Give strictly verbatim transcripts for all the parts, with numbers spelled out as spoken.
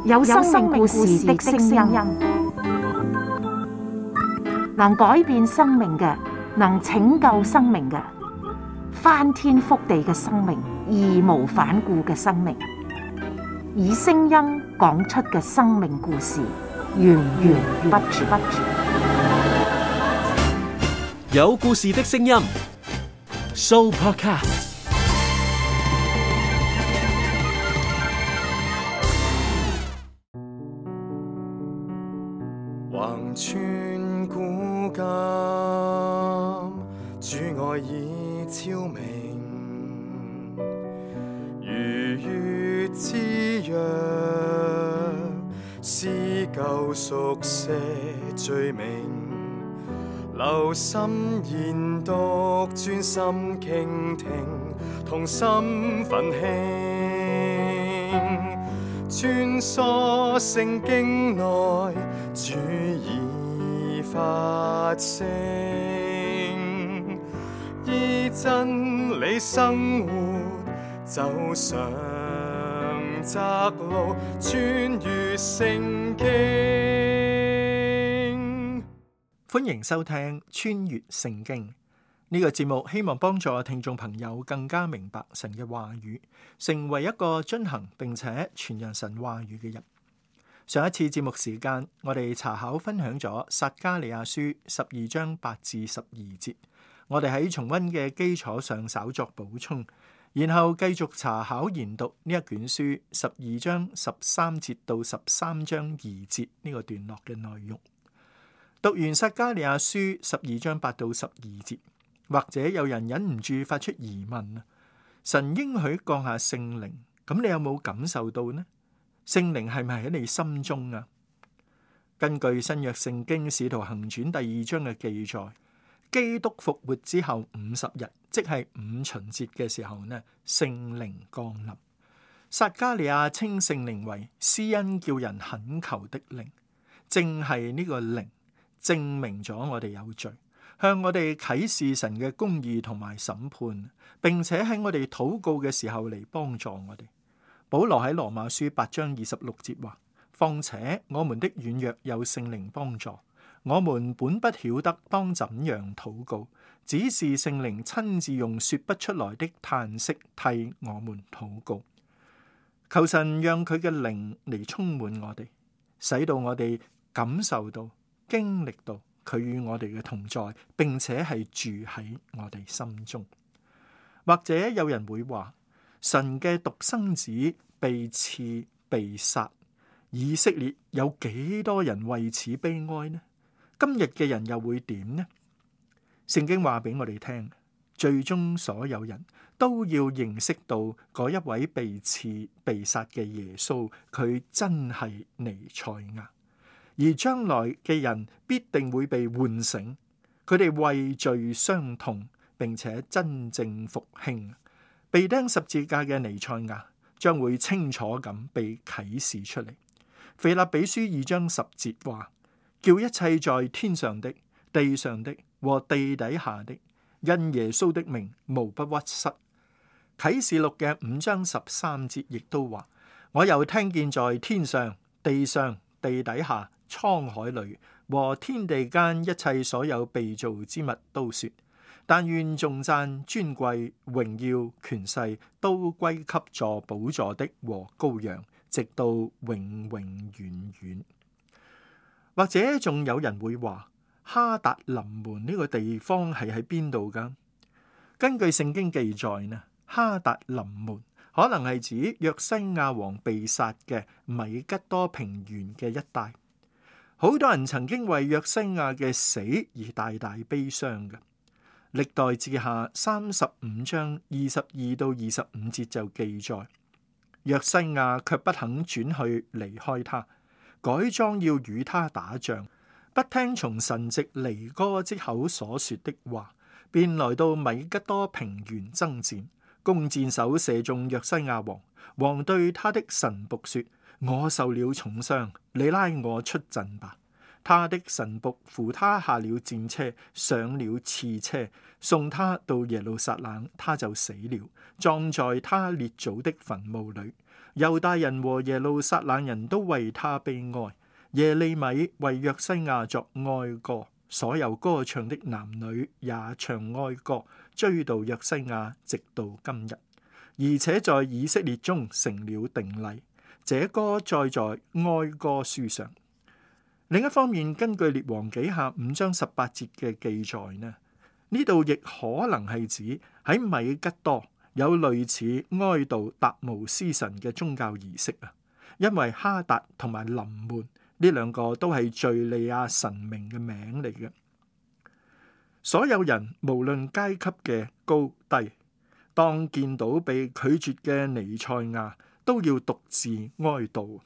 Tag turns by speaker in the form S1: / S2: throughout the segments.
S1: 有生命故事的聲音，能改變生命嘅，能拯救生命嘅，翻天覆地嘅生命，義無反顧嘅生命，以聲音講出嘅生命故事，源源不絕。
S2: 有故事的聲音 ，Sooopodcast。
S3: 橫穿古今，主愛已超明，如月之約，撕舊熟寫罪名，留心研讀，專心傾聽，同心奮興，穿梭聖經內，主已發聲，依真理生活，走上窄路，穿越聖經。
S4: 歡迎收聽《穿越聖經》呢個節目，希望幫助聽眾朋友更加明白神嘅話語，成為一個遵行並且傳揚神話語嘅人。上一次節目時間，我哋查考分享咗撒迦利亞書十二章八至十二節，我哋喺重溫嘅基礎上稍作補充，然後繼續查考研讀呢一卷書十二章十三節到十三章二節呢個段落嘅內容。讀完撒迦利亞書十二章八到十二節，或者有人忍唔住發出疑問啊，神應許降下聖靈，咁你有冇感受到呢？聖靈係咪喺你心中啊？根據新約聖經使徒行傳第二章嘅記載，基督復活之後五十日，即係五旬節嘅時候呢，聖靈降臨。撒迦利亞稱聖靈為施恩叫人懇求的靈，正係呢個靈證明咗我哋有罪，向我哋啟示神嘅公義同埋審判，並且喺我哋禱告嘅時候嚟幫助我哋。保羅喺羅馬書八章二十六節話：況且我們的軟弱有聖靈幫助，我們本不曉得當怎樣禱告，只是聖靈親自用說不出來的嘆息替我們禱告。求神讓佢嘅靈嚟充滿我哋，使到我哋感受到、經歷到佢與我哋嘅同在，並且係住喺我哋心中。或者有人會話，神嘅獨生子被刺被殺，以色列有幾多人為此悲哀呢？今日嘅人又會點呢？聖經話俾我哋聽，最終所有人都要認識到嗰一位被刺被殺嘅耶穌，佢真係彌賽亞，而將來嘅人必定會被喚醒，佢哋為罪傷痛，並且真正復興。被釘十字架嘅彌賽亞將會清楚咁被啟示出嚟。腓立比書二章十節話：叫一切在天上的、地上的和地底下的，因耶穌的名無不屈膝。啟示錄嘅五章十三節亦都話：我又聽見在天上、地上、地底下、滄海裏和天地間一切所有被造之物都說，但願頌讚、尊貴、榮耀、權勢都歸給坐寶座的和羔羊，直到永永遠遠。或者仲有人會話，哈達臨門呢個地方係喺邊度㗎？根據聖經記載呢，哈達臨門可能係指約西亞王被殺嘅米吉多平原嘅一帶。好多人曾經為約西亞嘅死而大大悲傷嘅。歷代志下三十五章二十二到二十五節就記載，約西亞卻不肯轉去離開他，改裝要與他打仗，不聽從神藉尼哥之口所說的話，便來到米吉多平原爭戰，弓箭手射中約西亞王。王對他的臣僕說：我受了重傷，你拉我出陣吧。他的臣僕扶他下了戰車，上了刺車，送他到耶路撒冷，他就死了，葬在他列祖的墳墓裏。猶大人和耶路撒冷人都為他悲哀，耶利米為約西亞作哀歌，所有歌唱的男女也唱哀歌，追悼約西亞，直到今日，而且在以色列中成了定例。這歌載在哀歌書上。另一方面，根據列王紀下五章十八節嘅記載呢，呢度亦可能係指喺米吉多有類似哀悼達姆斯神嘅宗教儀式啊，因為哈達同埋臨門呢兩個都係敘利亞神明嘅名嚟嘅。所有人無論階級嘅高低，當見到被拒絕嘅彌賽亞，都要獨自哀悼。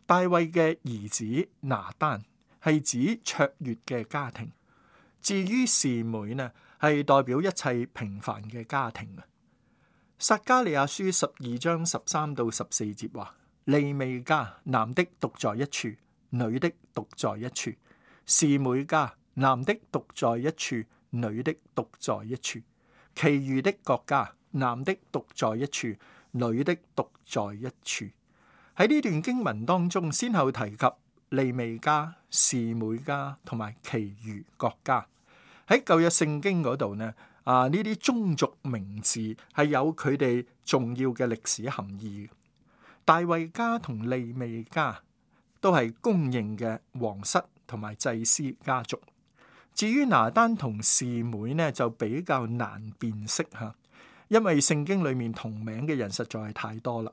S4: 大衛嘅兒子拿單係指卓越嘅家庭，至於示每呢，係代表一切平凡嘅家庭啊。撒迦利亞書十二章十三到十四節話：利未家男的獨在一處，女的獨在一處；示每家男的獨在一處，女的獨在一處；其餘的各家男的獨在一處，女的獨在一處。喺呢段經文當中，先後提及利未家、示每家同埋其餘各家。喺舊約聖經嗰度呢，啊呢啲宗族名字係有佢哋重要嘅歷史含義。大衛家同利未家都係公認嘅皇室同埋祭司家族。至於拿單同示每呢，就比較難辨識吓，因為聖經裏面同名嘅人實在係太多啦。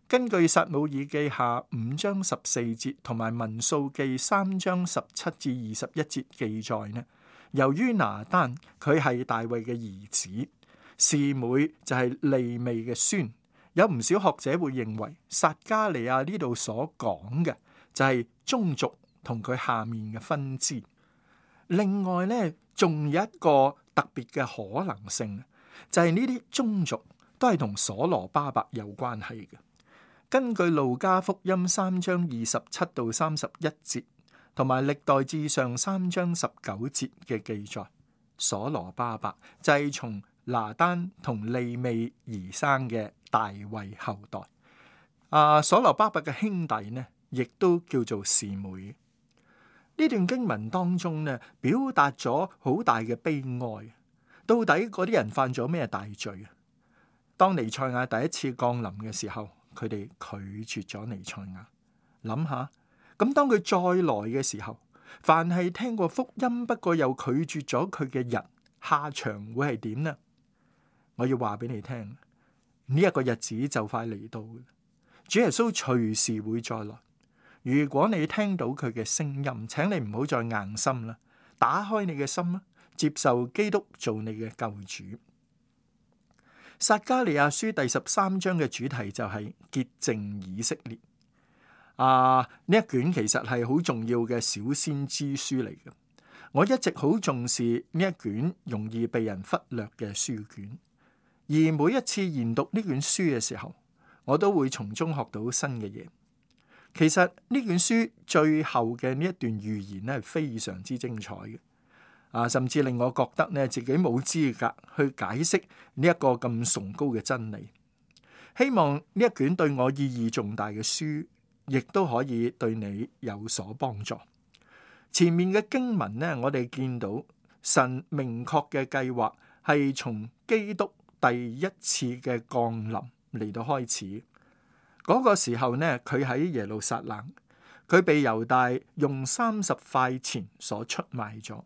S4: 根據撒母耳記下五章十四節同埋民數記三章十七至二十一節記載呢，由於拿單佢係大衛嘅兒子，示每就係利未嘅孫，有唔少學者會認為撒迦利亞呢度所講嘅就係宗族同佢下面嘅分支。另外呢，仲有一個特別嘅可能性，就係呢啲宗族都係同所羅巴伯有關係嘅。根據路加福音三章二十七到三十一節，同埋歷代志上三章十九節嘅記載，所羅巴伯就係從拿單同利未而生嘅大衛後代。啊，所羅巴伯嘅兄弟呢，亦都叫做示每。呢段經文當中呢，表達咗好大嘅悲哀。到底嗰啲人犯咗咩大罪啊？當彌賽亞第一次降臨嘅時候，佢哋拒絕咗彌賽亞。諗下，咁當佢再來嘅時候，凡係聽過福音不過又拒絕咗佢嘅人，下場會係點呢？我要話俾你聽，呢一個日子就快嚟到，主耶穌隨時會再來。如果你聽到佢嘅聲音，請你唔好再硬心啦，打開你嘅心啦，接受基督做你嘅救主。撒迦利亞書第十三章嘅主題就係潔淨以色列。啊，呢一卷其實係好重要嘅小先知書嚟嘅。我一直好重視呢一卷容易被人忽略嘅書卷，而每一次研讀呢卷書嘅時候，我都會從中學到新嘅嘢。其實呢卷書最後嘅呢一段預言咧係非常之精彩嘅。啊，甚至令我覺得咧自己冇資格去解釋呢一個咁崇高嘅真理。希望呢一卷對我意義重大嘅書，亦都可以對你有所幫助。前面嘅經文呢，我哋見到神明確嘅計劃係從基督第一次嘅降臨嚟到開始。嗰、那個時候呢，佢喺耶路撒冷，佢被猶大用三十塊錢所出賣咗。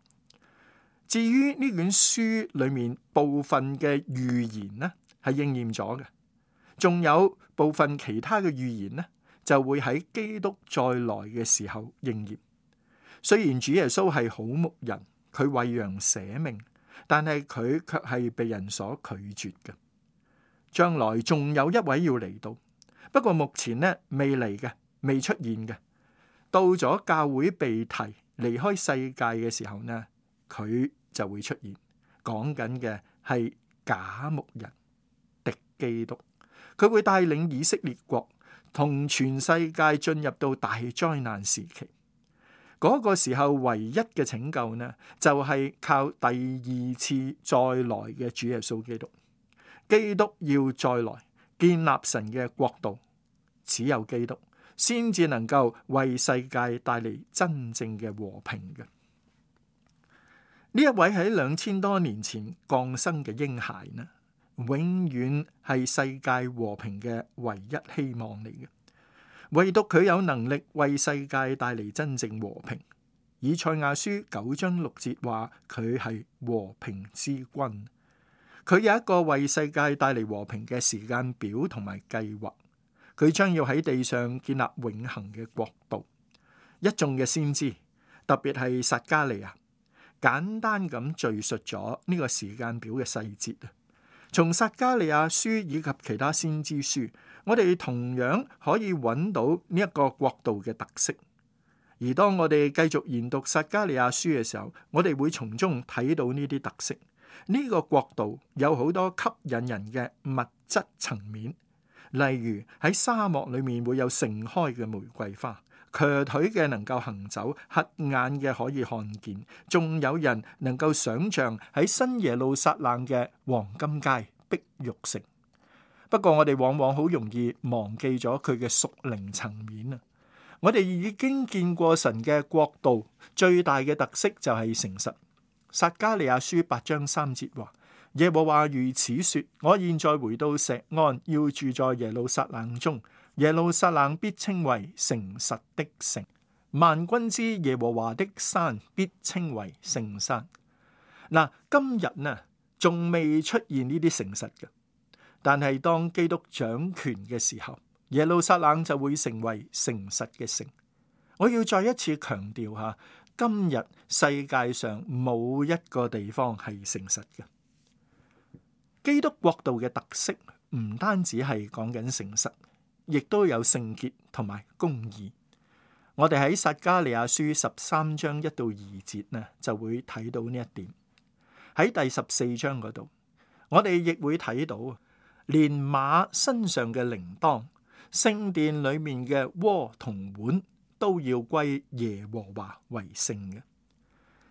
S4: 至於呢卷書裏面部分嘅預言呢，係應驗咗嘅，仲有部分其他嘅預言呢，就會喺基督再來嘅時候應驗。雖然主耶穌係好牧人，佢為羊捨命，但係佢卻係被人所拒絕嘅。將來仲有一位要嚟到，不過目前呢未嚟嘅，未出現嘅。到咗教會被提離開世界嘅時候呢，佢就會出現。講緊嘅係假牧人敵基督，佢會帶領以色列國同全世界進入到大災難時期。嗰、那個時候唯一嘅拯救呢，就係、是、靠第二次再來嘅主耶穌基督。基督要再來建立神嘅國度，只有基督先至能夠為世界帶嚟真正嘅和平嘅。呢一位喺兩千多年前降生嘅嬰孩呢，永遠係世界和平嘅唯一希望嚟嘅。唯獨佢有能力為世界帶嚟真正和平。以賽亞書九章六節話佢係和平之君。佢有一個為世界帶嚟和平嘅時間表同埋計劃。佢將要喺地上建立永恆嘅國度。一眾嘅先知，特別係撒迦利亞，簡單咁敘述咗呢個時間表嘅細節啊。從撒迦利亞書以及其他先知書，我哋同樣可以揾到呢一個國度嘅特色。而當我哋繼續研讀撒迦利亞書嘅時候，我哋會從中睇到呢啲特色。呢個國度有好多吸引人嘅物質層面，例如喺沙漠裏面會有盛開嘅玫瑰花，瘸腿嘅能夠行走，瞎眼嘅可以看見，仲有人能夠想象喺新耶路撒冷嘅黃金街、碧玉城。不過我哋往往好容易忘記咗佢嘅屬靈層面啊！我哋已經見過神嘅國度最大嘅特色就係誠實。撒迦利亞書八章三節話：耶和華如此說，我現在回到錫安，要住在耶路撒冷中，耶路撒冷必稱為誠實的城，萬軍之耶和華的山必稱為聖山。嗱，今日呢仲未出現呢啲誠實嘅，但係當基督掌權嘅時候，耶路撒冷就會成為誠實嘅城。我要再一次強調下，今日世界上冇一個地方係誠實嘅。基督國度嘅特色唔單止係講緊誠實，亦都有聖潔同埋公義。我哋喺撒迦利亞書十三章一到二節呢，就會睇到呢一點。喺第十四章嗰度，我哋亦會睇到，連馬身上嘅鈴鐺、聖殿裏面嘅鍋同碗都要歸耶和華為聖嘅。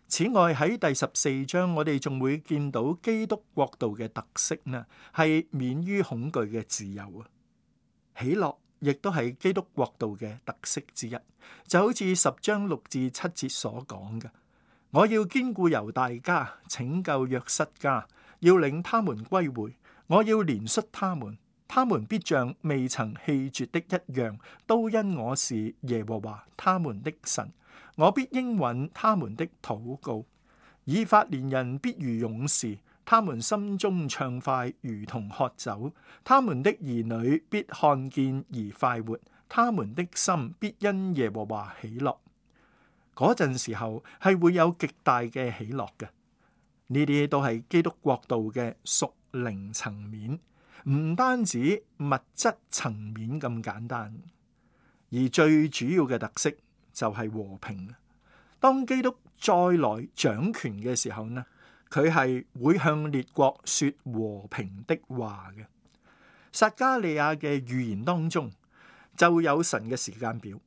S4: 此外，喺第十四章，我哋仲會見到基督國度嘅特色呢，係免於恐懼嘅自由啊。喜樂亦都係基督國度嘅特色之一，就好似十章六至七節所講嘅：我要堅固猶大家，拯救約瑟家，要領他們歸回，我要憐恤他們，他們必像未曾棄絕的一樣，都因我是耶和華他們的神。我必應允他們的禱告。以法蓮人必如勇士，他們心中暢快如同喝酒。他們的兒女必看見而快活，他們的心必因耶和華喜樂。嗰陣時候係會有極大嘅喜樂嘅。呢啲都係基督國度嘅屬靈層面，唔單止物質層面咁簡單，而最主要嘅特色就係和平。當基督再來掌權嘅時候呢，佢係會向列國說和平的話嘅。撒迦利亞嘅預言當中就有神嘅時間表。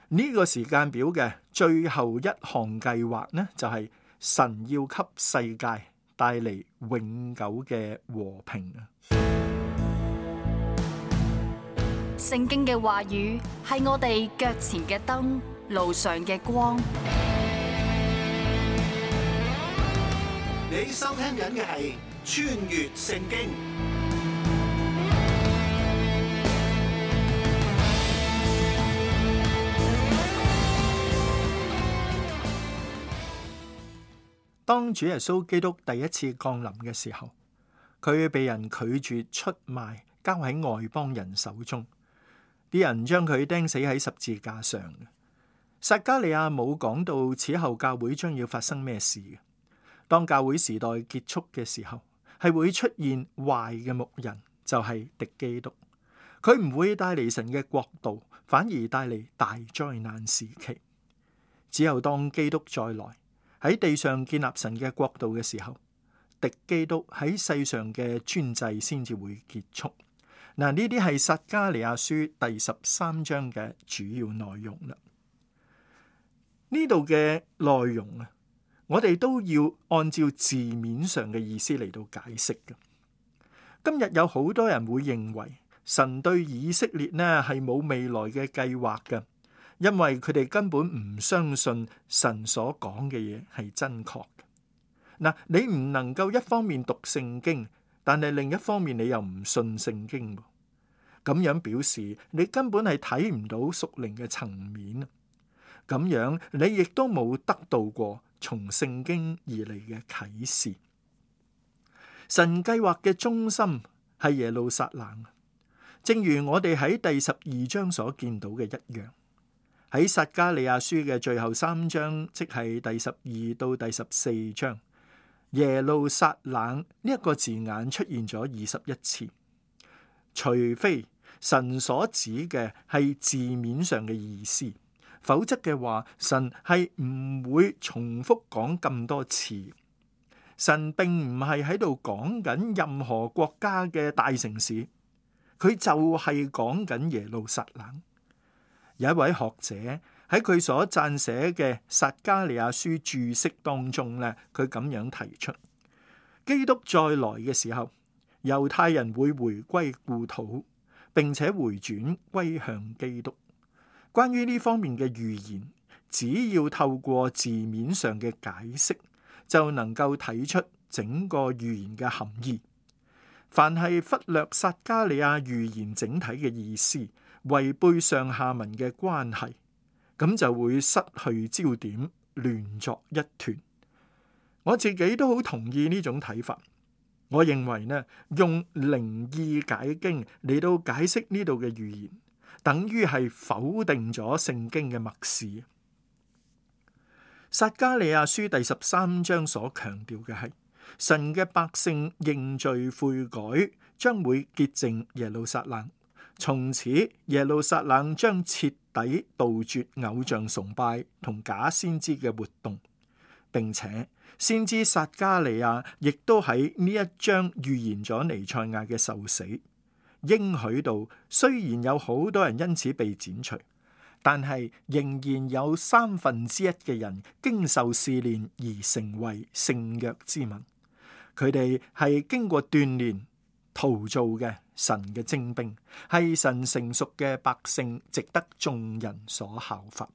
S4: 呢、這個時間表嘅最後一項計劃呢，就係、是、神要給世界帶嚟永久嘅和平啊！
S5: 聖經嘅話語係我哋腳前嘅燈，路上嘅光。
S6: 你收聽緊嘅係穿越聖經。
S4: 當主耶穌基督第一次降臨嘅時候，佢被人拒絕出賣，交喺外邦人手中，啲人將佢釘死喺十字架上。撒迦利亞冇講到此後教會將要發生咩事嘅。當教會時代結束嘅時候，係會出現壞嘅牧人，就係敵基督。佢唔會帶嚟神嘅國度，反而帶嚟大災難時期。只有當基督再來喺地上建立神嘅國度嘅時候，敵基督喺世上嘅專制先至會結束。嗱，呢啲係撒迦利亞書第十三章嘅主要內容啦。呢度嘅內容啊，我哋都要按照字面上嘅意思嚟到解釋嘅。今日有好多人會認為神對以色列呢係冇未來嘅計劃嘅，因為佢哋根本唔相信神所講嘅嘢係真確嘅。嗱，你唔能夠一方面讀聖經，但係另一方面你又唔信聖經，咁樣表示你根本係睇唔到屬靈嘅層面。咁樣你亦都冇得到過從聖經而嚟嘅啟示。神計劃嘅中心係耶路撒冷，正如我哋喺第十二章所見到嘅一樣。喺撒迦利亞書嘅最後三章，即係第十二到第十四章，耶路撒冷呢一個字眼出現咗二十一次。除非神所指嘅係字面上嘅意思，否則嘅話，神係唔會重複講咁多次。神並唔係喺度講緊任何國家嘅大城市，佢就係講緊耶路撒冷。有一位學者喺佢所撰寫嘅撒迦利亞書注釋當中咧，佢咁樣提出：基督再來嘅時候，猶太人會回歸故土，並且回轉歸向基督。關於呢方面嘅預言，只要透過字面上嘅解釋，就能夠睇出整個預言嘅含義。凡係忽略撒迦利亞預言整體嘅意思，違背上下文嘅關係，咁就會失去焦點，亂作一團。我自己都好同意呢種睇法。我認為呢，用靈意解經嚟到解釋呢度嘅預言，等於係否定咗聖經嘅默示。撒迦利亞書第十三章所強調嘅係神嘅百姓認罪悔改，將會潔淨耶路撒冷，從此耶路撒冷將徹底杜絕偶像崇拜同假先知嘅活動，並且先知撒迦利亞亦都喺呢一章預言咗彌賽亞嘅受死，應許到雖然有好多人因此被剪除，但係仍然有三分之一嘅人經受試煉而成為聖約之民。佢哋係經過鍛煉陶造嘅神嘅精兵，係神成熟嘅百姓，值得眾人所效法。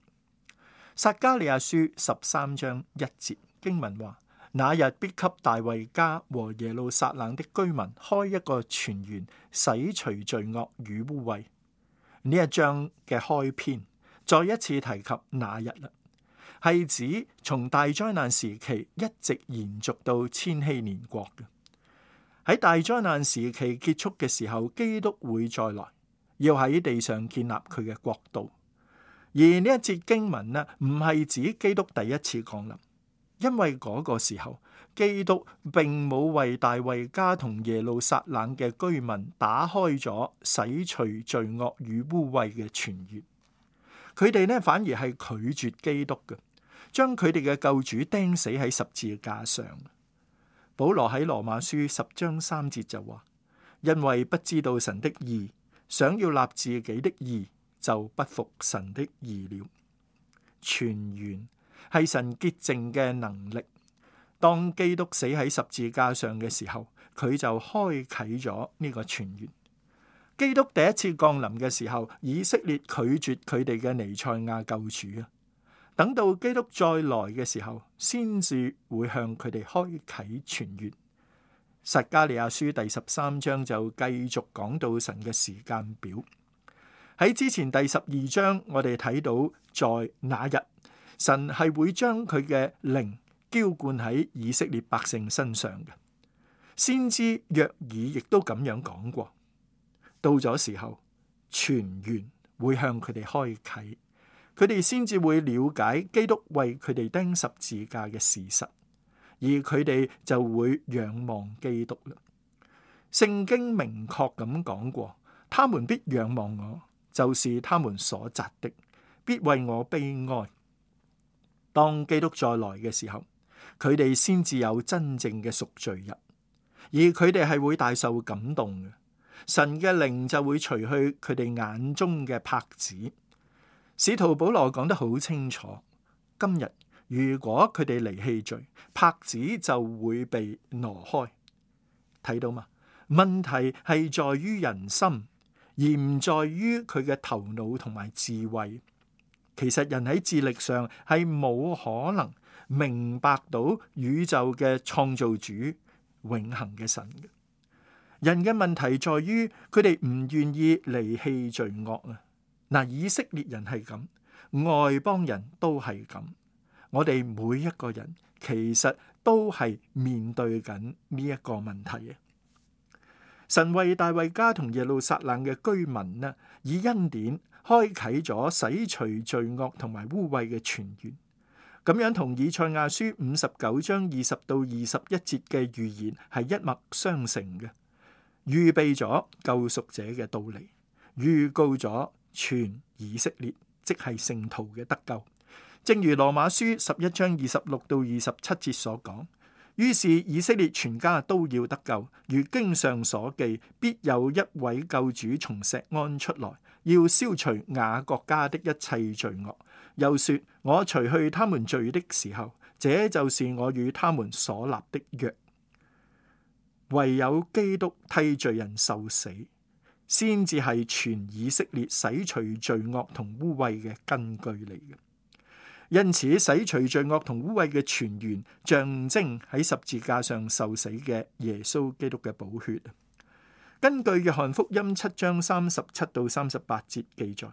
S4: 撒迦利亞書十三章一節經文話：那日必給大衛家和耶路撒冷的居民開一個泉源，洗除罪惡與污穢。呢一章嘅開篇再一次提及那日啦，係指從大災難時期一直延續到千禧年國嘅。喺大災難時期結束嘅時候，基督會再來，要喺地上建立佢嘅國度。而呢一節經文呢，唔係指基督第一次降臨，因為嗰個時候基督並冇為大衛家同耶路撒冷嘅居民打開咗洗除罪惡與污穢嘅泉源。佢哋呢反而係拒絕基督嘅，將佢哋嘅救主釘死喺十字架上。保羅喺羅馬書十章三節就話：因為不知道神的義，想要立自己的義，就不服神的義了。泉源係神潔淨嘅能力。當基督死喺十字架上嘅時候，佢就開啟咗呢個泉源。基督第一次降臨嘅時候，以色列拒絕佢哋嘅彌賽亞救主啊。等到基督再來嘅時候，先至會向佢哋開啟泉源。撒迦利亞書第十三章就繼續講到神嘅時間表。喺之前第十二章，我哋睇到在那日，神係會將佢嘅靈澆灌喺以色列百姓身上嘅。先知約珥亦都咁樣講過。到咗時候，泉源會向佢哋開啟，佢哋先至會了解基督為佢哋釘十字架嘅事實，而佢哋就會仰望基督啦。聖經明確咁講過，他們必仰望我，就是他們所扎的，必為我悲哀。當基督再來嘅時候，佢哋先至有真正嘅贖罪日，而佢哋係會大受感動嘅。神嘅靈就會除去佢哋眼中嘅帕子。使徒保羅講得好清楚，今日如果佢哋離棄罪，帕子就會被挪開。睇到嘛？問題係在於人心，而唔在於佢嘅頭腦同埋智慧。其實人喺智力上係冇可能明白到宇宙嘅創造主永恆嘅神嘅。人嘅問題在於佢哋唔願意離棄罪惡啊！嗱，以色列人係咁，外邦人都係咁。我哋每一個人其實都係面對緊呢一個問題啊！神為大衛家同耶路撒冷嘅居民呢，以恩典開啟咗洗除罪惡同埋污穢嘅泉源，咁樣同以賽亞書五十九章二十到二十一節嘅預言係一脈相承嘅，預備咗救贖者嘅到嚟，預告咗全以色列即係聖徒嘅得救。正如羅馬書十一章二十六到二十七節所講，於是以色列全家都要得救，如經上所記，必有一位救主從錫安出來，要消除雅各家的一切罪惡。又說，我除去他們罪的時候，這就是我與他們所立的約。唯有基督替罪人受死，先至係全以色列洗除罪惡同污穢嘅根據嚟嘅。因此，洗除罪惡同污穢嘅泉源，象徵喺十字架上受死嘅耶穌基督嘅寶血。根據約翰福音七章三十七到三十八節記載，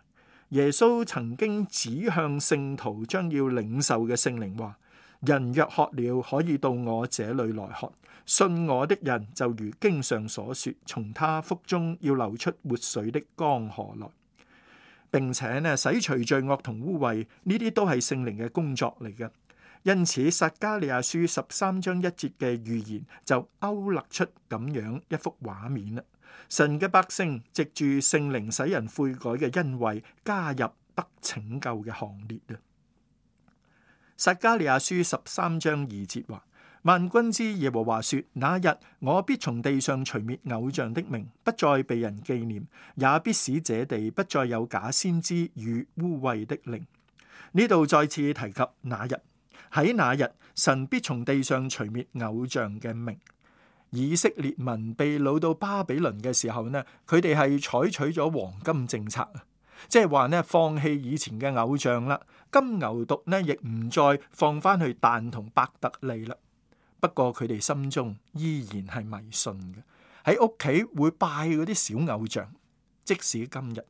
S4: 耶穌曾經指向聖徒將要領受嘅聖靈話：人若渴了，可以到我這裏來喝。信我的人就如經上所說，從他腹中要流出活水的江河來。並且呢，洗除罪惡同污穢，呢啲都係聖靈嘅工作嚟嘅。因此，撒迦利亞書十三章一節嘅預言就勾勒出咁樣一幅畫面啦。神嘅百姓藉住聖靈使人悔改嘅恩惠，加入得拯救嘅行列啊。撒迦利亞書十三章二節話：萬軍之耶和華說，那日我必從地上除滅偶像的名，不再被人紀念，也必使這地不再有假先知與污穢的靈。呢度再次提及那日，喺那日神必從地上除滅偶像嘅名。以色列民被擄到巴比倫嘅時候呢，佢哋係採取咗黃金政策啊，即係話呢，放棄以前嘅偶像啦，金牛犢呢亦唔再放翻去但同伯特利啦。不過佢哋心中依然係迷信嘅，喺屋企會拜嗰啲小偶像。即使今日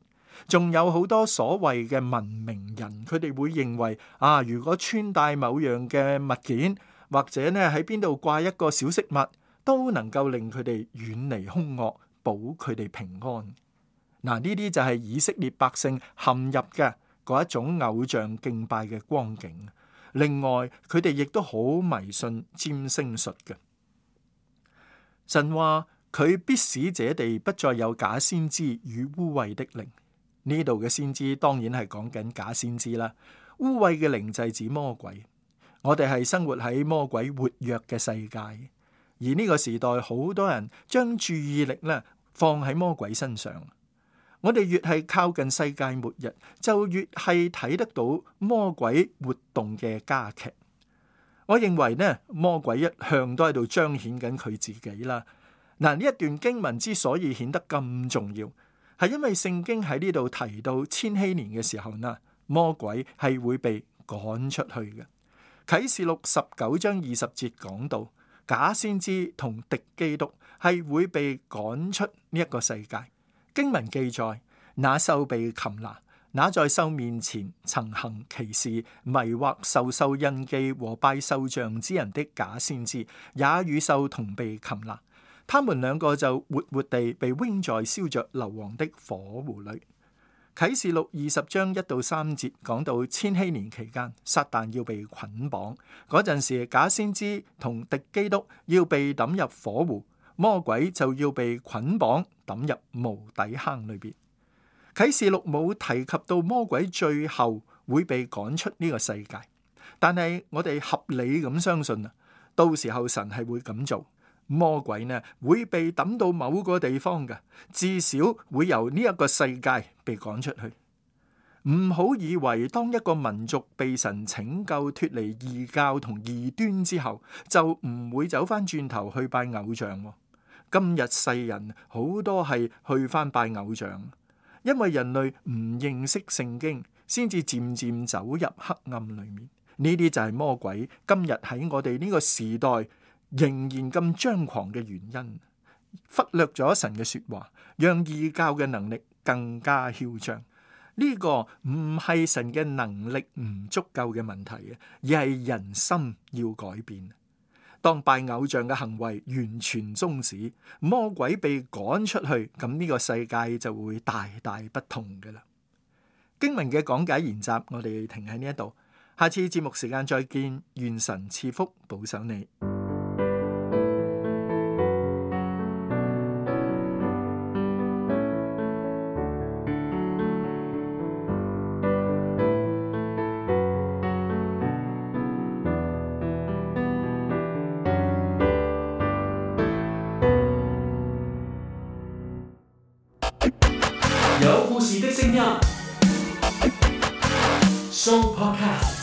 S4: 仲有好多所謂嘅文明人，佢哋會認為啊，如果穿戴某樣嘅物件，或者呢喺邊度掛一個小飾物，都能夠令佢哋遠離兇惡，保佢哋平安。嗱，呢啲就係以色列百姓陷入嘅嗰一種偶像敬拜嘅光景。另外，佢哋亦都好迷信占星術嘅。神話佢必使這地不再有假先知與污穢的靈。呢度嘅先知當然係講緊假先知啦。污穢嘅靈就係指魔鬼。我哋係生活喺魔鬼活躍嘅世界，而呢個時代好多人將注意力咧放喺魔鬼身上。我哋越係靠近世界末日，就越係睇得到魔鬼活動嘅加劇。我認為呢，魔鬼一向都喺度彰顯緊佢自己啦。嗱，呢一段經文之所以顯得咁重要，係因為聖經喺呢度提到千禧年嘅時候呢，魔鬼係會被趕出去嘅。啟示錄十九章二十節講到，假先知同敵基督係會被趕出呢一個世界。經文記載，那獸被擒拿，那在獸面前曾行奇事、迷惑受獸印記和拜獸像之人的假先知，也與獸同被擒拿。他們兩個就活活地被扔在燒着硫磺的火湖裏。啟示錄二十章一到三節講到千禧年期間，撒旦要被捆綁嗰陣時，假先知同敵基督要被抌入火湖。魔鬼就要被捆綁抌入無底坑裏邊。啟示錄冇提及到魔鬼最後會被趕出呢個世界，但係我哋合理咁相信啊，到時候神係會咁做。魔鬼呢會被抌到某個地方嘅，至少會由呢一個世界被趕出去。唔好以為當一個民族被神拯救脫離異教同異端之後，就唔會走翻轉頭去拜偶像。今日世人好多係去翻拜偶像，因為人類唔認識聖經，先至漸漸走入黑暗裏面。呢啲就係魔鬼今日喺我哋呢個時代仍然咁張狂嘅原因，忽略咗神嘅說話，讓異教嘅能力更加囂張。呢個唔係神嘅能力唔足夠嘅問題，而係人心要改變。當拜偶像嘅行為完全終止，魔鬼被趕出去，咁呢個世界就會大大不同㗎喇。經文嘅講解研習，我哋停喺呢一度，下次節目時間再見，願神賜福保守你。
S2: 有故事的聲音，Show Podcast。